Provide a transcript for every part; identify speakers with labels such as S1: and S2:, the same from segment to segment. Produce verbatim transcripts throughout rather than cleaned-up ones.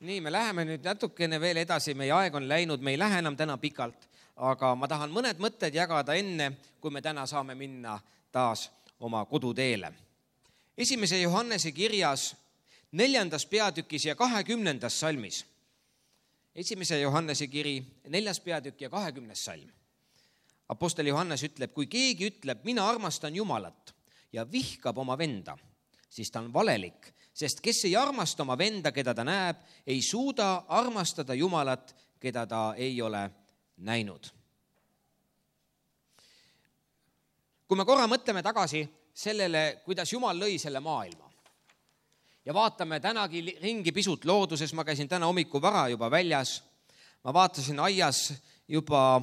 S1: Nii, me läheme nüüd natukene veel edasi, meie aeg on läinud, me ei lähe enam täna pikalt, aga ma tahan mõned mõtted jagada enne, kui me täna saame minna taas oma koduteele. Esimese Johannese kirjas neljandas peatükis ja kahekümnendas salmis. Esimese Johannese kiri, neljas peatükk ja kahekümnes salm. Apostel Johannes ütleb, kui keegi ütleb, mina armastan Jumalat ja vihkab oma venda, siis ta on valelik, sest kes ei armasta oma venda, keda ta näeb, ei suuda armastada Jumalat, keda ta ei ole näinud. Kui me korra mõtleme tagasi sellele, kuidas Jumal lõi selle maailma ja vaatame tänagi ringi pisut looduses, ma käisin täna hommiku vara juba väljas, ma vaatasin aias juba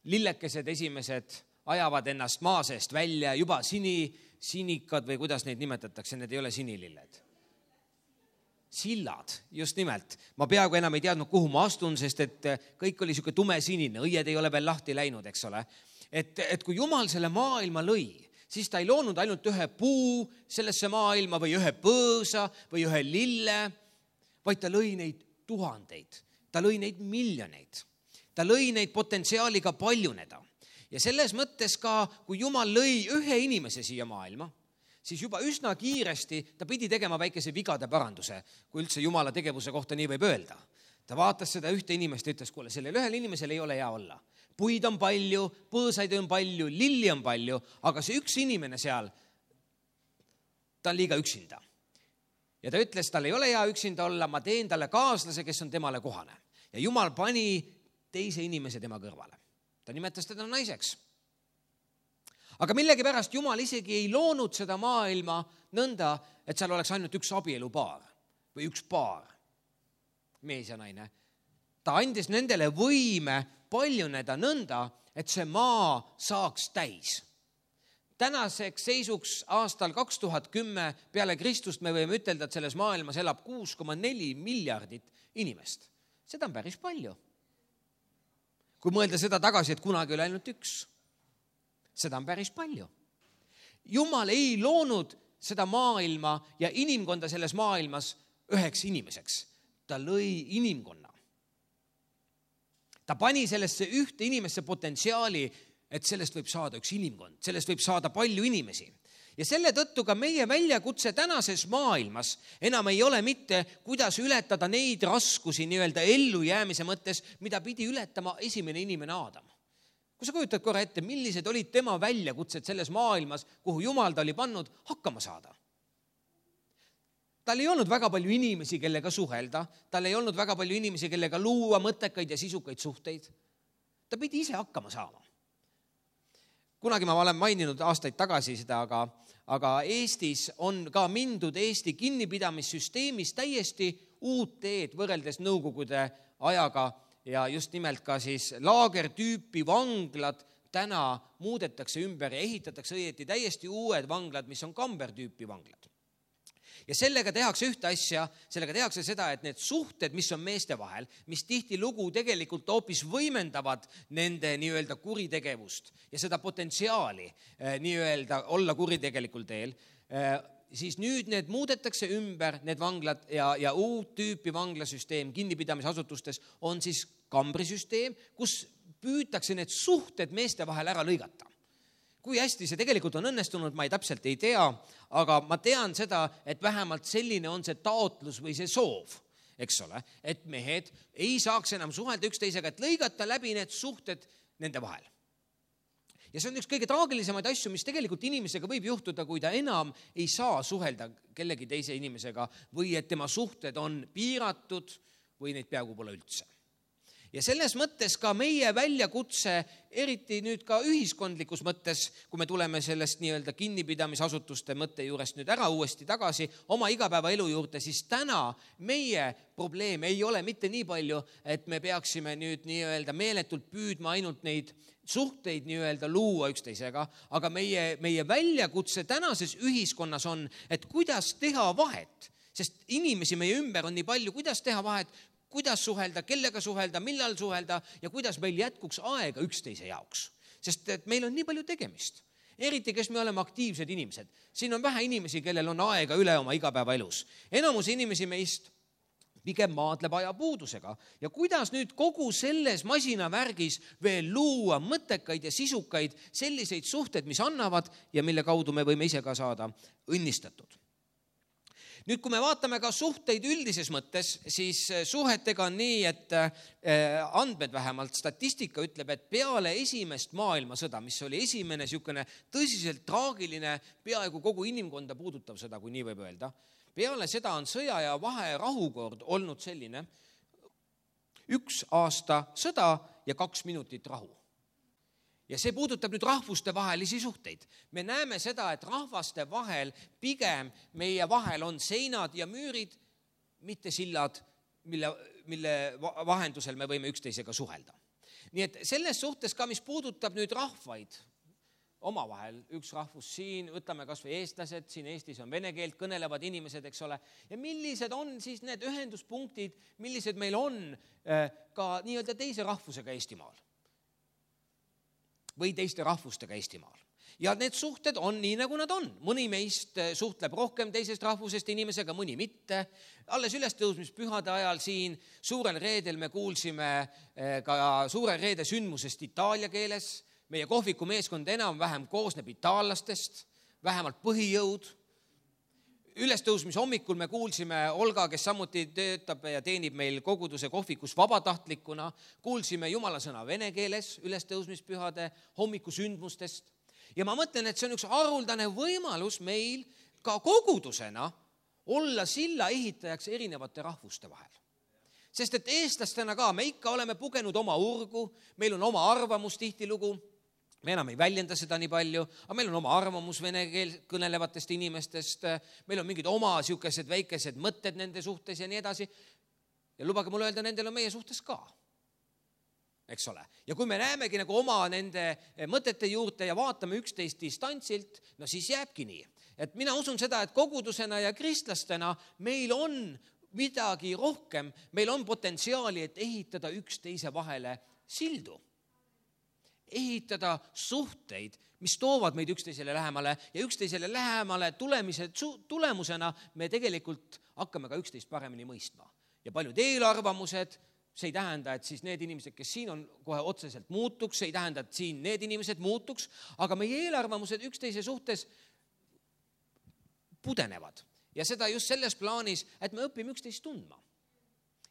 S1: lillekesed esimesed ajavad ennast maa seest välja, juba sini, sinikad või kuidas neid nimetatakse, need ei ole sinililled. Sillad, just nimelt. Ma peaaegu enam ei teadnud, kuhu ma astun, sest et kõik oli siuke tume sinine, õied ei ole veel lahti läinud, eks ole. Et, et kui Jumal selle maailma lõi, siis ta ei loonud ainult ühe puu sellesse maailma või ühe põõsa või ühe lille, vaid ta lõi neid tuhandeid, ta lõi neid miljoneid, ta lõi neid potentsiaaliga paljuneda. Ja selles mõttes ka, kui Jumal lõi ühe inimese siia maailma, siis juba üsna kiiresti ta pidi tegema väikese vigade paranduse, kui üldse Jumala tegevuse kohta nii võib öelda. Ta vaatas seda ühte inimest ja ütles, kuule, sellel ühel inimesel ei ole hea olla. Puid on palju, põõsaid on palju, lilli on palju, aga see üks inimene seal, ta on liiga üksinda. Ja ta ütles, tal ei ole hea üksinda olla, ma teen talle kaaslase, kes on temale kohane. Ja Jumal pani teise inimese tema kõrvale. Ta nimetas teda naiseks. Aga millegi pärast Jumal isegi ei loonud seda maailma nõnda, et seal oleks ainult üks abielupaar või üks paar, mees ja naine. Ta andis nendele võime paljuneda nõnda, et see maa saaks täis. Tänaseks seisuks aastal kaks tuhat kümme peale Kristust me võime ütelda, et selles maailmas elab kuus koma neli miljardit inimest. Seda on päris palju. Kui mõelda seda tagasi, et kunagi oli ainult üks, seda on päris palju. Jumal ei loonud seda maailma ja inimkonda selles maailmas üheks inimeseks. Ta lõi inimkonna. Ta pani sellesse ühte inimesse potentsiaali, et sellest võib saada üks inimkond, sellest võib saada palju inimesi. Ja selle tõttu ka meie väljakutse tänases maailmas enam ei ole mitte, kuidas ületada neid raskusi nii-öelda ellu jäämise mõttes, mida pidi ületama esimene inimene Aadam. Kui sa kujutad korra ette, millised olid tema väljakutsed selles maailmas, kuhu Jumal ta oli pannud hakkama saada? Tal ei olnud väga palju inimesi, kellega suhelda, tal ei olnud väga palju inimesi, kellega luua mõttekaid ja sisukaid suhteid. Ta pidi ise hakkama saama. Kunagi ma olen maininud aastaid tagasi seda, aga, aga Eestis on ka mindud Eesti kinnipidamissüsteemis täiesti uut teed võrreldes nõukogude ajaga ja just nimelt ka siis laagertüüpi vanglad täna muudetakse ümber ja ehitatakse õieti täiesti uued vanglad, mis on kambertüüpi vanglad. Ja sellega tehakse ühte asja, sellega tehakse seda, et need suhted, mis on meeste vahel, mis tihti lugu tegelikult hoopis võimendavad nende nii-öelda kuritegevust ja seda potentsiaali nii-öelda olla kuritegelikul teel, siis nüüd need muudetakse ümber, need vanglad ja, ja uut tüüpi vanglasüsteem kinnipidamisasutustes on siis kambrisüsteem, kus püütakse need suhted meeste vahel ära lõigata. Kui hästi see tegelikult on õnnestunud, ma ei täpselt ei tea, aga ma tean seda, et vähemalt selline on see taotlus või see soov, eks ole, et mehed ei saaks enam suhelda üksteisega, et lõigata läbi need suhted nende vahel. Ja see on üks kõige traagilisemaid asju, mis tegelikult inimesega võib juhtuda, kui ta enam ei saa suhelda kellegi teise inimesega või et tema suhted on piiratud või neid peaaegu pole üldse. Ja selles mõttes ka meie väljakutse, eriti nüüd ka ühiskondlikus mõttes, kui me tuleme sellest nii-öelda kinnipidamisasutuste mõtte juurest nüüd ära uuesti tagasi oma igapäeva elu juurde, siis täna meie probleem ei ole mitte nii palju, et me peaksime nüüd nii-öelda meeletult püüdma ainult neid suhteid nii-öelda luua üksteisega, aga meie, meie väljakutse tänases ühiskonnas on, et kuidas teha vahet, sest inimesi meie ümber on nii palju, kuidas teha vahet, kuidas suhelda, kellega suhelda, millal suhelda ja kuidas meil jätkuks aega üksteise jaoks. Sest et meil on nii palju tegemist. Eriti, kes me oleme aktiivsed inimesed. Siin on vähe inimesi, kellel on aega üle oma igapäeva elus. Enamus inimesi meist pigem maadleb ajapuudusega. Ja kuidas nüüd kogu selles masinavärgis veel luua mõttekaid ja sisukaid selliseid suhteid, mis annavad ja mille kaudu me võime ise ka saada õnnistatud. Nüüd, kui me vaatame ka suhteid üldises mõttes, siis suhetega on nii, et andmed vähemalt, statistika ütleb, et peale esimest maailmasõda, mis oli esimene niisugune tõsiselt traagiline, peaaegu kogu inimkonda puudutav sõda, kui nii võib öelda, peale seda on sõja ja vaherahukord olnud selline üks aasta sõda ja kaks minutit rahu. Ja see puudutab nüüd rahvuste vahelisi suhteid. Me näeme seda, et rahvaste vahel pigem meie vahel on seinad ja müürid, mitte sillad, mille, mille vahendusel me võime üksteisega suhelda. Nii et selles suhtes ka, mis puudutab nüüd rahvaid, omavahel üks rahvus siin, võtame kas või eestlased, siin Eestis on vene keelt kõnelevad inimesed, eks ole, ja millised on siis need ühenduspunktid, millised meil on ka nii-öelda teise rahvusega Eestimaal või teiste rahvustega Eestimaal. Ja need suhted on nii, nagu nad on. Mõni meist suhtleb rohkem teisest rahvusest inimesega, mõni mitte. Alles ülestõusmispühade ajal siin suurel reedel me kuulsime ka suurel reede sündmusest itaalia keeles. Meie kohviku meeskond enam-vähem koosneb itaallastest, vähemalt põhijõud. Ülestõusmis hommikul me kuulsime Olga, kes samuti töötab ja teenib meil koguduse kohvikus vabatahtlikuna. Kuulsime jumala sõna vene keeles ülestõusmispühade hommikusündmustest. Ja ma mõtlen, et see on üks haruldane võimalus meil ka kogudusena olla silla ehitajaks erinevate rahvuste vahel. Sest et eestlastena ka me ikka oleme pugenud oma urgu, meil on oma arvamus tihtilugu. Me enam ei väljenda seda nii palju, aga meil on oma arvamus vene keel kõnelevatest inimestest, meil on mingid oma siukesed väikesed mõtted nende suhtes ja nii edasi. Ja lubage mulle öelda, nendel on meie suhtes ka. Eks ole. Ja kui me näemegi nagu oma nende mõtete juurde ja vaatame üksteist distantsilt, no siis jääbki nii. Et mina usun seda, et kogudusena ja kristlastena meil on midagi rohkem, meil on potentsiaali, et ehitada üksteise vahele sildu. Ehitada suhteid, mis toovad meid üksteisele lähemale ja üksteisele lähemale tulemise tulemusena me tegelikult hakkame ka üksteist paremini mõistma. Ja paljud eelarvamused, see ei tähenda, et siis need inimesed, kes siin on, kohe otseselt muutuks, see ei tähenda, et siin need inimesed muutuks, aga meie eelarvamused üksteise suhtes pudenevad. Ja seda just selles plaanis, et me õpime üksteist tundma.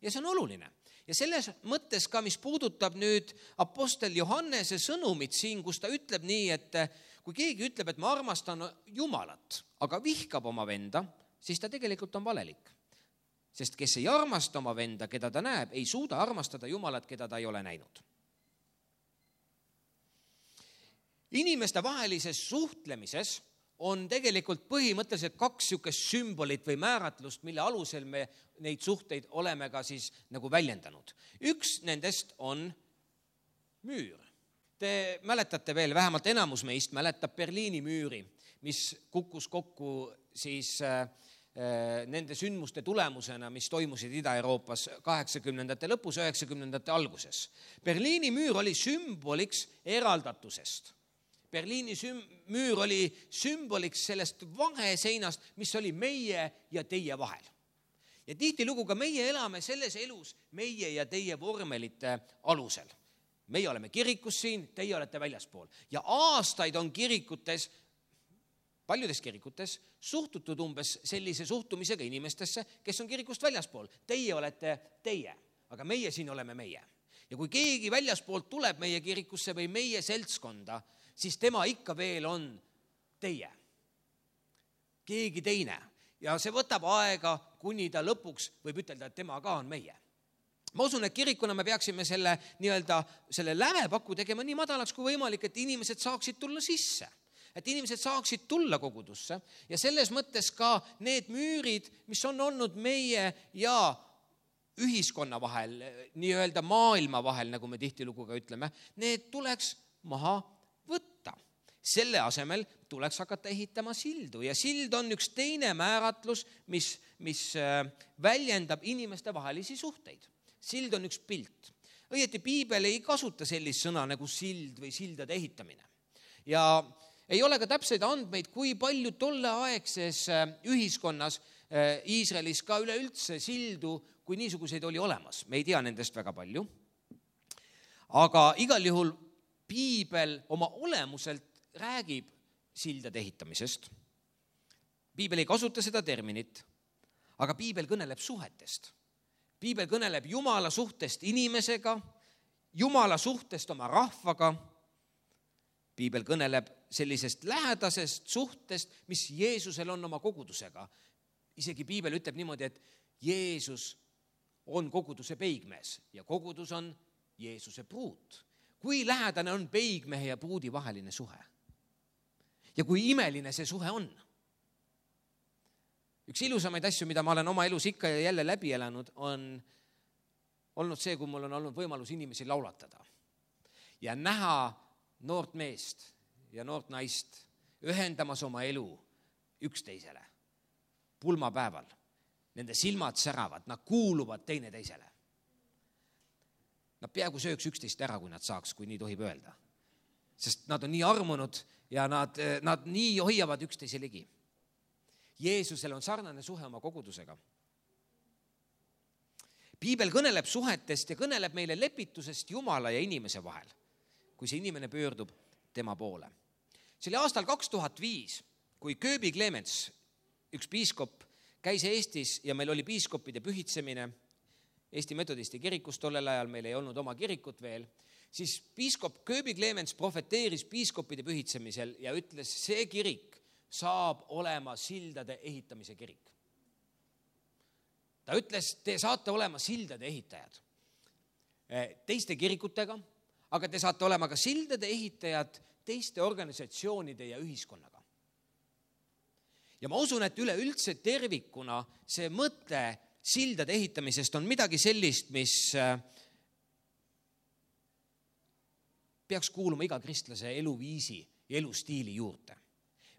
S1: Ja see on oluline. Ja selles mõttes ka, mis puudutab nüüd apostel Johannese sõnumit siin, kus ta ütleb nii, et kui keegi ütleb, et ma armastan Jumalat, aga vihkab oma venda, siis ta tegelikult on valelik. Sest kes ei armasta oma venda, keda ta näeb, ei suuda armastada Jumalat, keda ta ei ole näinud. Inimeste vahelises suhtlemises on tegelikult põhimõtteliselt kaks niisugust sümbolit või määratlust, mille alusel me neid suhteid oleme ka siis nagu väljendanud. Üks nendest on müür. Te mäletate veel, vähemalt enamus meist mäletab Berliini müüri, mis kukkus kokku siis äh, nende sündmuste tulemusena, mis toimusid Ida-Euroopas kaheksakümnendate lõpus, üheksakümnendate alguses. Berliini müür oli sümboliks eraldatusest. Berliini müür oli sümboliks sellest vaheseinast, mis oli meie ja teie vahel. Ja tihtilugu ka meie elame selles elus meie ja teie vormelite alusel. Meie oleme kirikus siin, teie olete väljaspool. Ja aastaid on kirikutes, paljudes kirikutes, suhtutud umbes sellise suhtumisega inimestesse, kes on kirikust väljaspool. Teie olete teie, aga meie siin oleme meie. Ja kui keegi väljaspoolt tuleb meie kirikusse või meie seltskonda, siis tema ikka veel on teie. Keegi teine. Ja see võtab aega, kuni ta lõpuks võib ütelda, et tema ka on meie. Ma usun, et kirikuna me peaksime selle, nii-öelda, selle lävepaku tegema nii madalaks kui võimalik, et inimesed saaksid tulla sisse. Et inimesed saaksid tulla kogudusse. Ja selles mõttes ka need müürid, mis on olnud meie ja ühiskonna vahel, nii-öelda maailma vahel, nagu me tihtilugu ka ütleme, need tuleks maha võtta. Selle asemel tuleks hakata ehitama sildu ja sild on üks teine määratlus, mis, mis väljendab inimeste vahelisi suhteid. Sild on üks pilt. Õieti piibel ei kasuta sellist sõna nagu sild või sildade ehitamine. Ja ei ole ka täpseid andmeid, kui palju tolleaegses ühiskonnas Iisraelis ka üleüldse sildu kui niisuguseid oli olemas. Me ei tea nendest väga palju. Aga igal juhul piibel oma olemuselt räägib sildade ehitamisest. Piibel ei kasuta seda terminit, aga piibel kõneleb suhetest. Piibel kõneleb Jumala suhtest inimesega, Jumala suhtest oma rahvaga. Piibel kõneleb sellisest lähedasest suhtest, mis Jeesusel on oma kogudusega. Isegi piibel ütleb niimoodi, et Jeesus on koguduse peigmees ja kogudus on Jeesuse pruut. Kui lähedane on peigmehe ja pruudi vaheline suhe? Ja kui imeline see suhe on? Üks ilusamaid asju, mida ma olen oma elus ikka ja jälle läbi elanud, on olnud see, kui mul on olnud võimalus inimesi laulatada ja näha noort meest ja noort naist ühendamas oma elu üksteisele. Pulmapäeval. Nende silmad säravad, nad kuuluvad teine teisele. Nad peaaegu sööks üksteist ära, kui nad saaks, kui nii tohib öelda. Sest nad on nii armunud ja nad, nad nii hoiavad üksteise ligi. Jeesusel on sarnane suhe oma kogudusega. Piibel kõneleb suhetest ja kõneleb meile lepitusest Jumala ja inimese vahel, kui see inimene pöördub tema poole. See oli aastal kaks tuhat viis, kui Kööbi Clemens, üks piiskop, käis Eestis ja meil oli piiskopide pühitsemine Eesti metodisti kirikus tollel ajal, meil ei olnud oma kirikut veel, siis piiskop Kööbi Clemens profeteeris piiskopide pühitsemisel ja ütles, see kirik saab olema sildade ehitamise kirik. Ta ütles, te saate olema sildade ehitajad teiste kirikutega, aga te saate olema ka sildade ehitajad teiste organisatsioonide ja ühiskonnaga. Ja ma usun, et üleüldse tervikuna see mõte sildade ehitamisest on midagi sellist, mis peaks kuuluma iga kristlase eluviisi ja elustiili juurde.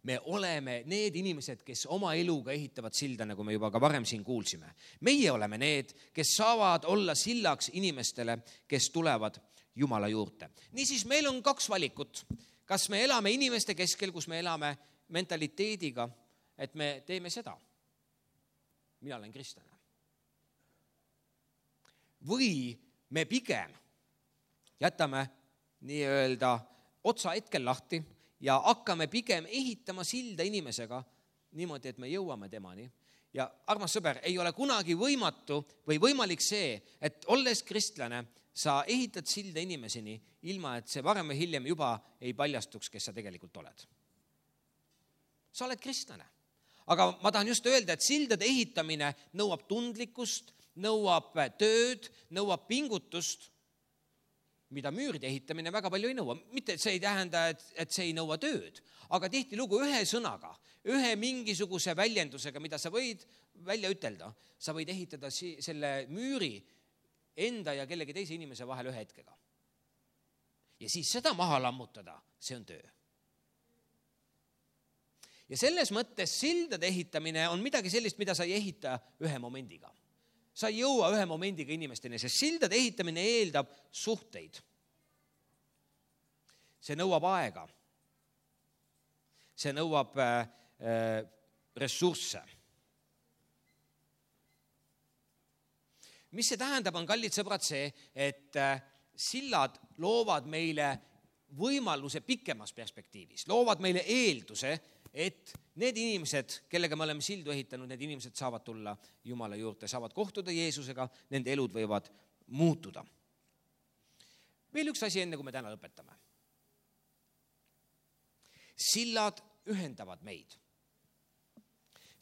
S1: Me oleme need inimesed, kes oma eluga ehitavad silda, nagu me juba ka varem siin kuulsime. Meie oleme need, kes saavad olla sillaks inimestele, kes tulevad Jumala juurde. Niisiis meil on kaks valikut. Kas me elame inimeste keskel, kus me elame mentaliteediga, et me teeme seda. Mina olen kristlane. Või me pigem jätame nii-öelda otsa hetkel lahti ja hakkame pigem ehitama silda inimesega niimoodi, et me jõuame temani. Ja armas sõber, ei ole kunagi võimatu või võimalik see, et olles kristlane, sa ehitad silda inimeseni, ilma et see varem või hiljem juba ei paljastuks, kes sa tegelikult oled. Sa oled kristlane. Aga ma tahan just öelda, et sildade ehitamine nõuab tundlikkust, nõuab tööd, nõuab pingutust, mida müüride ehitamine väga palju ei nõua. Mitte, et see ei tähenda, et, et see ei nõua tööd, aga tihti lugu ühe sõnaga, ühe mingisuguse väljendusega, mida sa võid välja ütelda, sa võid ehitada selle müüri enda ja kellegi teise inimese vahel ühe hetkega. Ja siis seda maha lammutada, see on töö. Ja selles mõttes sildade ehitamine on midagi sellist, mida sa ei ehita ühe momendiga. Sa ei jõua ühe momendiga inimesteni, sest sildade ehitamine eeldab suhteid. See nõuab aega. See nõuab äh, ressursse. Mis see tähendab, on kallid sõbrad see, et äh, sillad loovad meile võimaluse pikemas perspektiivis, loovad meile eelduse, et need inimesed, kellega me oleme sildu ehitanud, need inimesed saavad tulla Jumala juurde, saavad kohtuda Jeesusega, nende elud võivad muutuda. Veel üks asi enne, kui me täna lõpetame. Sillad ühendavad meid.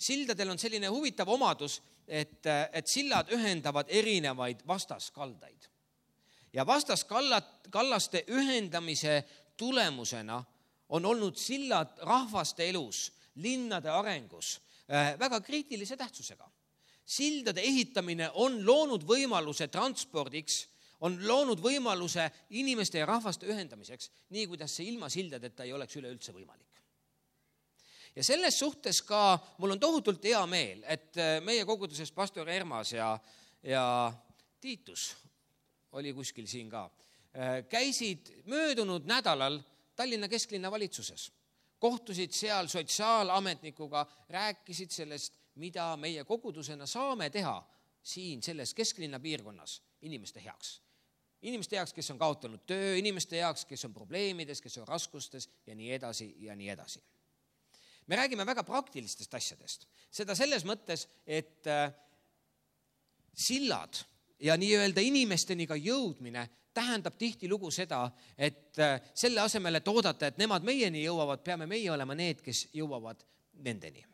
S1: Sildadel on selline huvitav omadus, et, et sillad ühendavad erinevaid vastaskaldaid. Ja vastaskallaste ühendamise tulemusena on olnud sillad rahvaste elus, linnade arengus väga kriitilise tähtsusega. Sildade ehitamine on loonud võimaluse transpordiks, on loonud võimaluse inimeste ja rahvaste ühendamiseks, nii kuidas see ilma sildadeta ei oleks üleüldse võimalik. Ja selles suhtes ka mul on tohutult hea meel, et meie koguduses pastor Ermas ja, ja Tiitus oli kuskil siin ka, käisid möödunud nädalal Tallinna kesklinna valitsuses. Kohtusid seal sotsiaalametnikuga, rääkisid sellest, mida meie kogudusena saame teha siin selles kesklinna piirkonnas inimeste heaks. Inimeste heaks, kes on kaotanud töö, inimeste heaks, kes on probleemides, kes on raskustes ja nii edasi ja nii edasi. Me räägime väga praktilistest asjadest. Seda selles mõttes, et sillad ja nii-öelda inimesteni ka jõudmine tähendab tihtilugu seda, et selle asemel, et oodata, et nemad meieni jõuavad, peame meie olema need, kes jõuavad nendeni.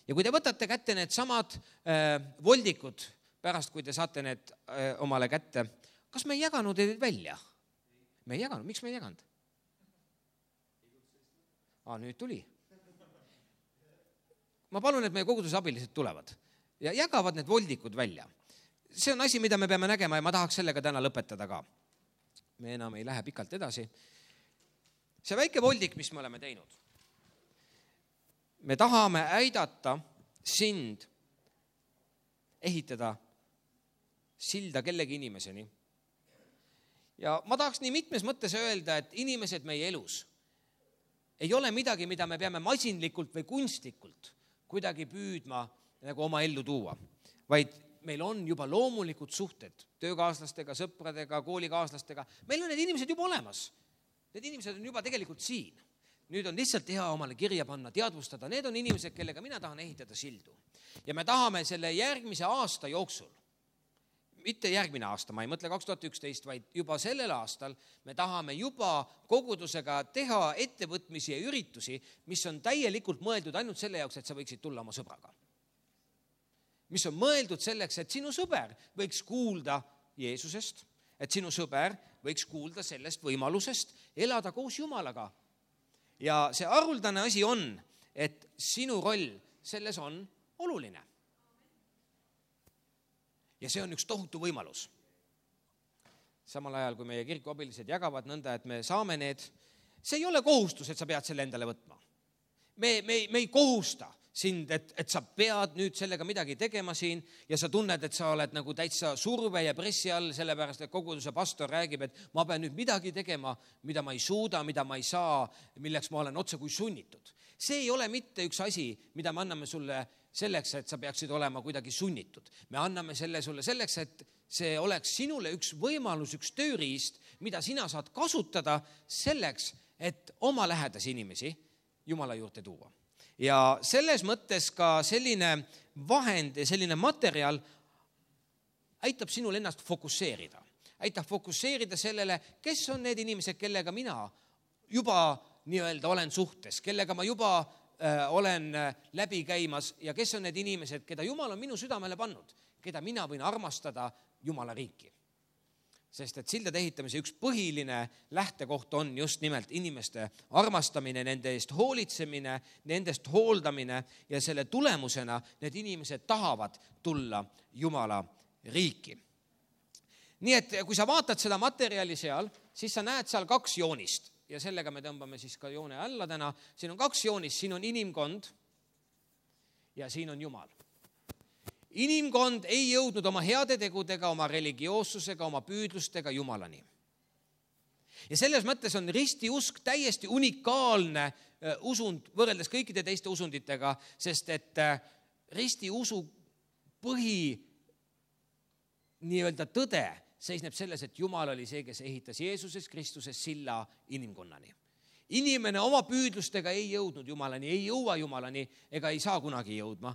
S1: Ja kui te võtate kätte need samad äh, voldikud, pärast kui te saate need äh, omale kätte, kas me ei jaganud neid välja? Me ei jaganud. Miks me ei jaganud? Aa, nüüd tuli. Ma palun, et meie koguduse abilised tulevad ja jagavad need voldikud välja. See on asi, mida me peame nägema ja ma tahaks sellega täna lõpetada ka. Me enam ei lähe pikalt edasi. See väike voldik, mis me oleme teinud. Me tahame aidata sind ehitada silda kellegi inimeseni. Ja ma tahaks nii mitmes mõttes öelda, et inimesed meie elus ei ole midagi, mida me peame masinlikult või kunstlikult kuidagi püüdma nagu oma ellu tuua, vaid meil on juba loomulikud suhted töökaaslastega, sõpradega, koolikaaslastega. Meil on need inimesed juba olemas. Need inimesed on juba tegelikult siin. Nüüd on lihtsalt hea omale kirja panna, teadvustada. Need on inimesed, kellega mina tahan ehitada sildu. Ja me tahame selle järgmise aasta jooksul, mitte järgmine aasta, ma ei mõtle kaks tuhat üksteist, vaid juba sellel aastal me tahame juba kogudusega teha ettevõtmisi ja üritusi, mis on täielikult mõeldud ainult selle jaoks, et sa võiksid tulla oma sõbraga. Mis on mõeldud selleks, et sinu sõber võiks kuulda Jeesusest, et sinu sõber võiks kuulda sellest võimalusest elada koos Jumalaga. Ja see haruldane asi on, et sinu roll selles on oluline. Ja see on üks tohutu võimalus. Samal ajal, kui meie kirikuabilised jagavad nõnda, et me saame need, see ei ole kohustus, et sa pead selle endale võtma. Me, me, me ei kohusta sind, et, et sa pead nüüd sellega midagi tegema siin ja sa tunned, et sa oled nagu täitsa surve ja pressi all, sellepärast, et koguduse pastor räägib, et ma pean nüüd midagi tegema, mida ma ei suuda, mida ma ei saa, milleks ma olen otse kui sunnitud. See ei ole mitte üks asi, mida me anname sulle selleks, et sa peaksid olema kuidagi sunnitud. Me anname selle sulle selleks, et see oleks sinule üks võimalus, üks tööriist, mida sina saad kasutada selleks, et oma lähedasi inimesi Jumala juurde tuua. Ja selles mõttes ka selline vahend ja selline materjal aitab sinul ennast fokusseerida. Aitab fokusseerida sellele, kes on need inimesed, kellega mina juba nii-öelda olen suhtes, kellega ma juba äh, olen läbi käimas ja kes on need inimesed, keda Jumal on minu südamele pannud, keda mina võin armastada Jumala riiki. Sest et sildade ehitamise üks põhiline lähtekoht on just nimelt inimeste armastamine, nende eest hoolitsemine, nendest hooldamine ja selle tulemusena need inimesed tahavad tulla Jumala riiki. Nii et kui sa vaatad seda materjali seal, siis sa näed seal kaks joonist ja sellega me tõmbame siis ka joone alla täna. Siin on kaks joonist, siin on inimkond ja siin on Jumal. Inimkond ei jõudnud oma heade tegudega, oma religioossusega, oma püüdlustega Jumalani. Ja selles mõttes on ristiusk täiesti unikaalne usund võrreldes kõikide teiste usunditega, sest et ristiusu põhi nii-öelda tõde seisneb selles, et Jumal oli see, kes ehitas Jeesuses Kristuses silla inimkonnani. Inimene oma püüdlustega ei jõudnud Jumalani, ei jõua Jumalani ega ei saa kunagi jõudma.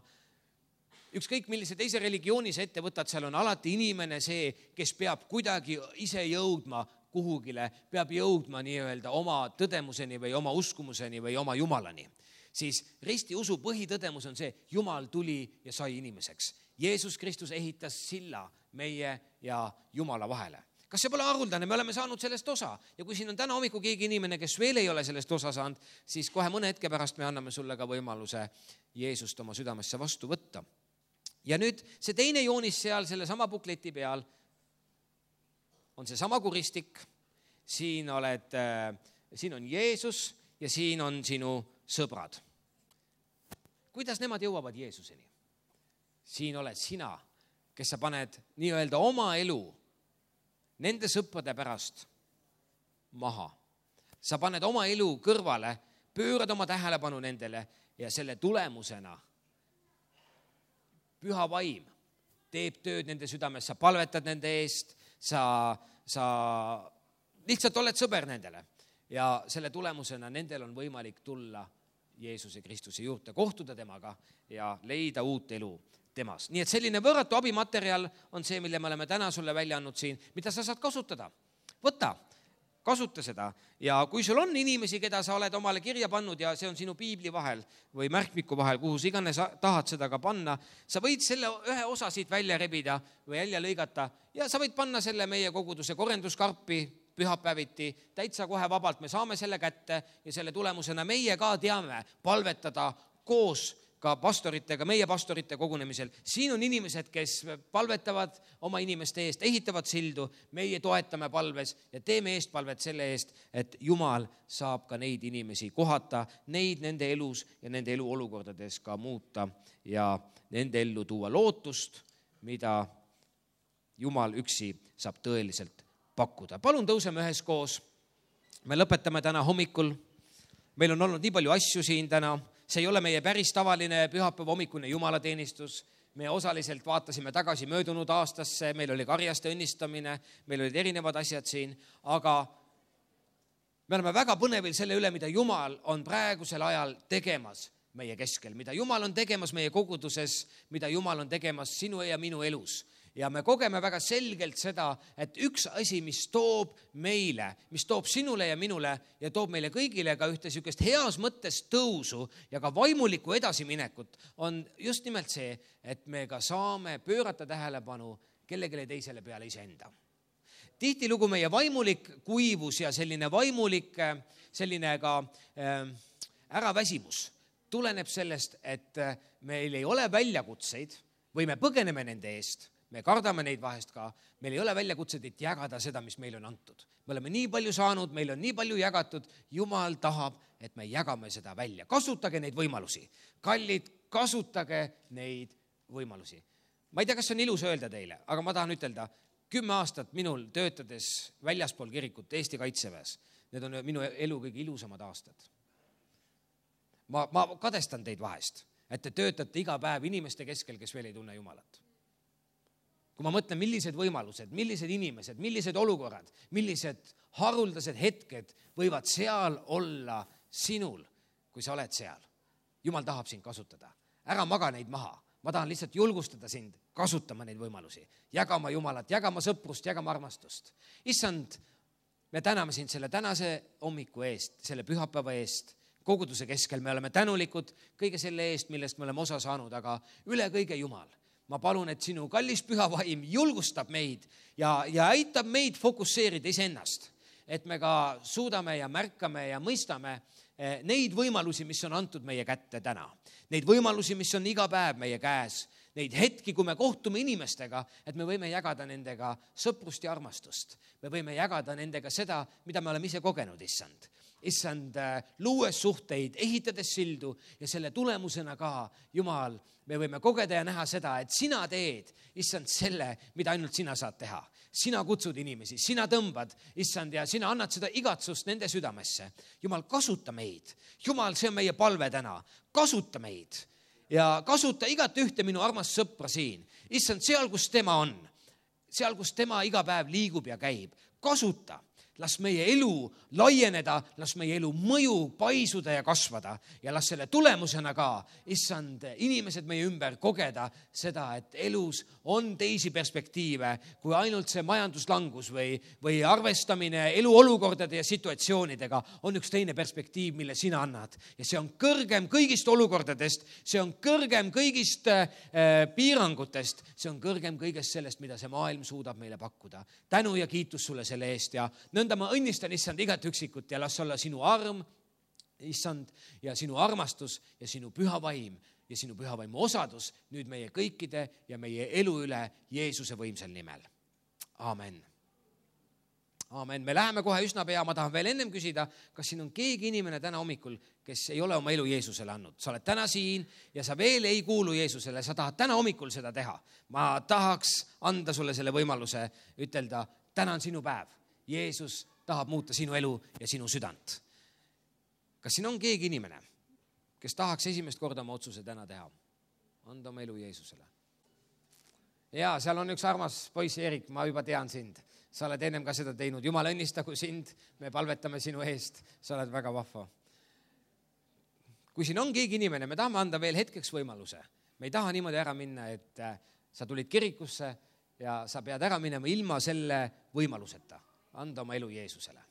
S1: Ükskõik millise teise religioonis ette võtad, seal on alati inimene see, kes peab kuidagi ise jõudma kuhugile, peab jõudma nii-öelda oma tõdemuseni või oma uskumuseni või oma Jumalani. Siis ristiusu põhitõdemus on see, Jumal tuli ja sai inimeseks. Jeesus Kristus ehitas silla meie ja Jumala vahele. Kas see pole haruldane? Me oleme saanud sellest osa. Ja kui siin on täna hommiku keegi inimene, kes veel ei ole sellest osa saanud, siis kohe mõne hetke pärast me anname sulle ka võimaluse Jeesust oma südamesse vastu võtta. Ja nüüd see teine joonis seal selle sama bukleti peal on see sama kuristik. Siin, oled, siin on Jeesus ja siin on sinu sõbrad. Kuidas nemad jõuavad Jeesuseni? Siin oled sina, kes sa paned nii-öelda oma elu nende sõprade pärast maha. Sa paned oma elu kõrvale, pöörad oma tähelepanu nendele ja selle tulemusena Püha vaim teeb tööd nende südames, sa palvetad nende eest, sa, sa lihtsalt oled sõber nendele ja selle tulemusena nendel on võimalik tulla Jeesuse Kristuse juurde, kohtuda temaga ja leida uut elu temas. Nii et selline võõratu abimaterjal on see, mille me oleme täna sulle välja andnud siin, mida sa saad kasutada. Võta, kasuta seda ja kui sul on inimesi, keda sa oled omale kirja pannud ja see on sinu piibli vahel või märkmiku vahel, kuhu sa iganes tahad seda ka panna, sa võid selle ühe osa siit välja rebida või välja lõigata ja sa võid panna selle meie koguduse korenduskarpi pühapäeviti, täitsa kohe vabalt, me saame selle kätte ja selle tulemusena meie ka teame palvetada koos ka pastoritega, meie pastorite kogunemisel. Siin on inimesed, kes palvetavad oma inimeste eest, ehitavad sildu, meie toetame palves ja teeme eestpalvet selle eest, et Jumal saab ka neid inimesi kohata, neid nende elus ja nende elu olukordades ka muuta ja nende ellu tuua lootust, mida Jumal üksi saab tõeliselt pakkuda. Palun tõuseme üheskoos. Me lõpetame täna hommikul. Meil on olnud nii palju asju siin täna. See ei ole meie päris tavaline pühapäeva hommikune jumalateenistus. Me osaliselt vaatasime tagasi möödunud aastasse, meil oli karjaste õnnistamine, meil olid erinevad asjad siin, aga me oleme väga põnevil selle üle, mida Jumal on praegusel ajal tegemas meie keskel, mida Jumal on tegemas meie koguduses, mida Jumal on tegemas sinu ja minu elus. Ja me kogeme väga selgelt seda, et üks asi, mis toob meile, mis toob sinule ja minule ja toob meile kõigile ka ühte sükest heas mõttes tõusu ja ka vaimulikku edasiminekut, on just nimelt see, et me ka saame pöörata tähelepanu kellegile teisele peale iseenda. Tihtilugu meie vaimulik kuivus ja selline vaimulik selline ka äh, äraväsimus tuleneb sellest, et meil ei ole väljakutseid või me põgeneme nende eest. Me kardame neid vahest ka, meil ei ole väljakutseid, et jagada seda, mis meil on antud. Me oleme nii palju saanud, meil on nii palju jagatud, Jumal tahab, et me jagame seda välja. Kasutage neid võimalusi. Kallid, kasutage neid võimalusi. Ma ei tea, kas on ilus öelda teile, aga ma tahan ütelda, kümme aastat minul töötades väljaspool kirikut Eesti Kaitseväes, need on minu elu kõige ilusamad aastad. Ma, ma kadestan teid vahest, et te töötate iga päev inimeste keskel, kes veel ei tunne Jumalat. Kui ma mõtlen, millised võimalused, millised inimesed, millised olukorrad, millised haruldased hetked võivad seal olla sinul, kui sa oled seal. Jumal tahab sind kasutada. Ära maga neid maha. Ma tahan lihtsalt julgustada sind kasutama neid võimalusi. Jagama Jumalat, jagama sõprust, jagama armastust. Issand, me täname sind selle tänase hommiku eest, selle pühapäeva eest. Koguduse keskel me oleme tänulikud kõige selle eest, millest me oleme osa saanud, aga üle kõige Jumal. Ma palun, et sinu kallis püha vaim julgustab meid ja, ja aitab meid fokusseerida iseennast, et me ka suudame ja märkame ja mõistame neid võimalusi, mis on antud meie kätte täna. Neid võimalusi, mis on iga päev meie käes, neid hetki, kui me kohtume inimestega, et me võime jagada nendega sõprust ja armastust. Me võime jagada nendega seda, mida me oleme ise kogenud, issand. Issand, luues suhteid, ehitades sildu ja selle tulemusena ka, Jumal, me võime kogeda ja näha seda, et sina teed, issand, selle, mida ainult sina saad teha. Sina kutsud inimesi, sina tõmbad, issand, ja sina annad seda igatsust nende südamesse. Jumal, kasuta meid. Jumal, see on meie palve täna. Kasuta meid ja kasuta igat ühte minu armast sõpra siin. Issand, seal, kus tema on, seal, kus tema iga päev liigub ja käib, kasuta. Las meie elu laieneda, las meie elu mõju paisuda ja kasvada ja las selle tulemusena ka, issand, inimesed meie ümber kogeda seda, et elus on teisi perspektiive kui ainult see majanduslangus või, või arvestamine eluolukordade ja situatsioonidega on üks teine perspektiiv, mille sina annad. Ja see on kõrgem kõigist olukordadest, see on kõrgem kõigist äh, piirangutest, see on kõrgem kõigest sellest, mida see maailm suudab meile pakkuda. Tänu ja kiitus sulle selle eest ja nõnda ma õnnistan, issand, igat üksikut ja las olla sinu arm, issand, ja sinu armastus ja sinu püha vaim ja sinu püha vaimu osadus nüüd meie kõikide ja meie elu üle Jeesuse võimsal nimel. Aamen. Aamen. Me läheme kohe üsna pea. Ma tahan veel ennem küsida, kas siin on keegi inimene täna hommikul, kes ei ole oma elu Jeesusele andnud. Sa oled täna siin ja sa veel ei kuulu Jeesusele. Sa tahad täna hommikul seda teha. Ma tahaks anda sulle selle võimaluse ütelda, täna on sinu päev. Jeesus tahab muuta sinu elu ja sinu südant. Kas siin on keegi inimene, kes tahaks esimest korda oma otsuse täna teha? Anda oma elu Jeesusele. Ja seal on üks armas poiss, Erik, ma juba tean sind. Sa oled ennem ka seda teinud. Jumal õnnistagu sind, me palvetame sinu eest. Sa oled väga vahva. Kui siin on keegi inimene, me tahame anda veel hetkeks võimaluse. Me ei taha niimoodi ära minna, et sa tulid kirikusse ja sa pead ära minema ilma selle võimaluseta. Anda oma elu Jeesusele.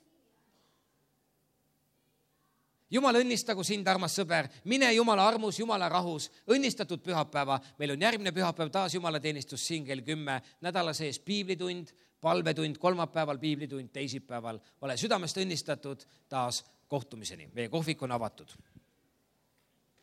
S1: Jumal õnnistagu sind, armas sõber. Mine Jumala armus, Jumala rahus. Õnnistatud pühapäeva. Meil on järgmine pühapäev taas Jumala teenistus siin kell kümme. Nädala sees piiblitund, palvetund, kolmapäeval piiblitund, teisipäeval. Ole südamest õnnistatud taas kohtumiseni. Meie kohvik on avatud.